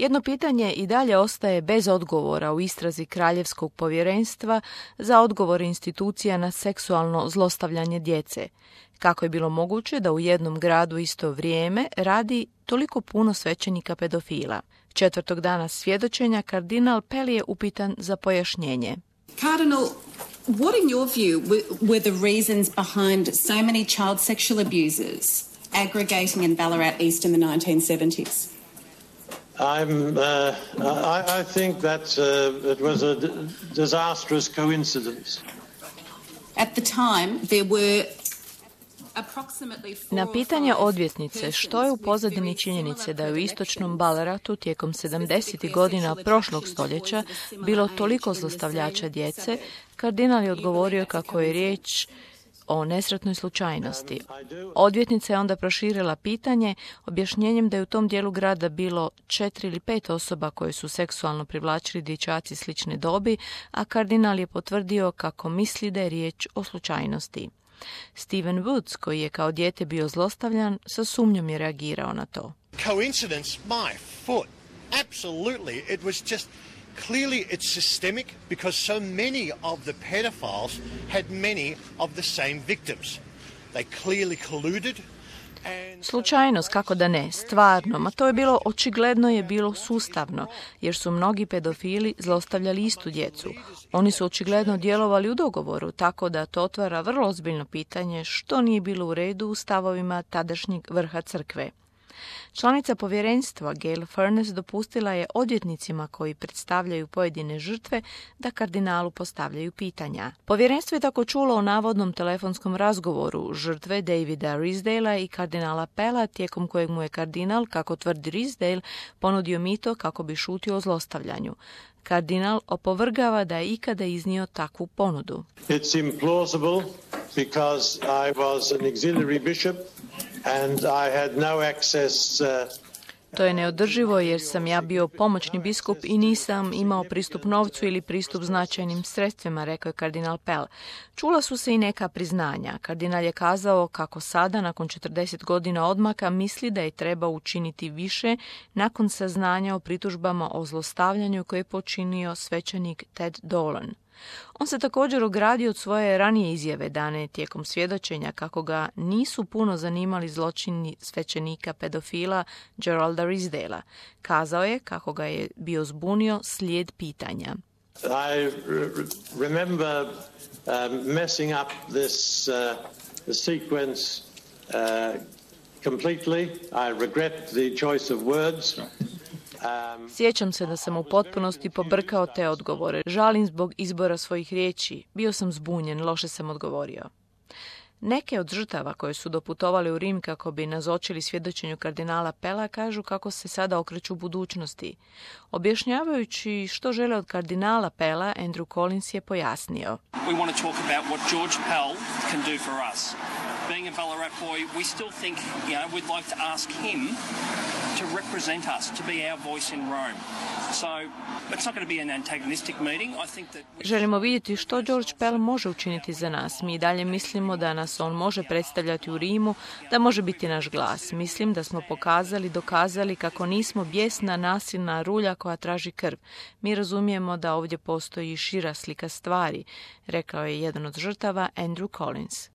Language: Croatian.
Jedno pitanje i dalje ostaje bez odgovora u istrazi Kraljevskog povjerenstva za odgovor institucija na seksualno zlostavljanje djece. Kako je bilo moguće da u jednom gradu isto vrijeme radi toliko puno svećenika pedofila? Četvrtog dana svjedočenja kardinal Pell je upitan za pojašnjenje. Cardinal, what in your view were the reasons behind so many child sexual abusers aggregating in Ballarat East in the 1970s? I think that it was a disastrous coincidence. At the time, there were na pitanje odvjetnice što je u pozadini činjenice da je u istočnom Ballaratu tijekom 70. godina prošlog stoljeća bilo toliko zlostavljača djece, kardinal je odgovorio kako je riječ o nesretnoj slučajnosti. Odvjetnica je onda proširila pitanje objašnjenjem da je u tom dijelu grada bilo 4 ili 5 osoba koje su seksualno privlačili dječaci slične dobi, a kardinal je potvrdio kako misli da je riječ o slučajnosti. Stephen Woods, koji je kao dijete bio zlostavljan, sa sumnjom je reagirao na to. Coincidence, my foot. Absolutely. It was just clearly it's systemic because so many of the pedophiles had many of the same victims. They clearly colluded. Slučajnost, kako da ne, stvarno, ma to je bilo očigledno je bilo sustavno, jer su mnogi pedofili zlostavljali istu djecu. Oni su očigledno djelovali u dogovoru, tako da to otvara vrlo ozbiljno pitanje što nije bilo u redu u stavovima tadašnjeg vrha crkve. Članica povjerenstva Gail Furness dopustila je odvjetnicima koji predstavljaju pojedine žrtve da kardinalu postavljaju pitanja. Povjerenstvo je tako čulo o navodnom telefonskom razgovoru žrtve Davida Risedala i kardinala Pella, tijekom kojeg mu je kardinal, kako tvrdi Risedale, ponudio mito kako bi šutio o zlostavljanju. Kardinal opovrgava da je ikada iznio takvu ponudu. It's implausible because I was an auxiliary bishop and I had no access. To je neodrživo jer sam ja bio pomoćni biskup i nisam imao pristup novcu ili pristup značajnim sredstvima, rekao je kardinal Pell. Čula su se i neka priznanja. Kardinal je kazao kako sada, nakon 40 godina odmaka, misli da je treba učiniti više nakon saznanja o pritužbama o zlostavljanju koje je počinio svećenik Ted Dolan. On se također ogradio od svoje ranije izjave dane tijekom svjedočenja kako ga nisu puno zanimali zločini svećenika pedofila Geralda Risedala. Kazao je kako ga je bio zbunio slijed pitanja. I remember messing up this sequence completely. I regret the choice of words. Sjećam se da sam u potpunosti pobrkao te odgovore. Žalim zbog izbora svojih riječi. Bio sam zbunjen, loše sam odgovorio. Neke od žrtava koje su doputovali u Rim kako bi nazočili svjedočenju kardinala Pella kažu kako se sada okreću budućnosti. Objašnjavajući što žele od kardinala Pella, Andrew Collins je pojasnio. We want to talk about what George Pell can do for us. Being a Ballarat boy, we still think, we'd like to ask him to represent us, to be our voice in Rome. So, it's not going to be an antagonistic meeting. I think that Želimo vidjeti što George Pell može učiniti za nas. Mi dalje mislimo da nas on može predstavljati u Rimu, da može biti naš glas. Mislim da smo dokazali kako nismo bijesna, nasilna rulja koja traži krv. Mi razumijemo da ovdje postoji šira slika stvari, rekao je jedan od žrtava Andrew Collins.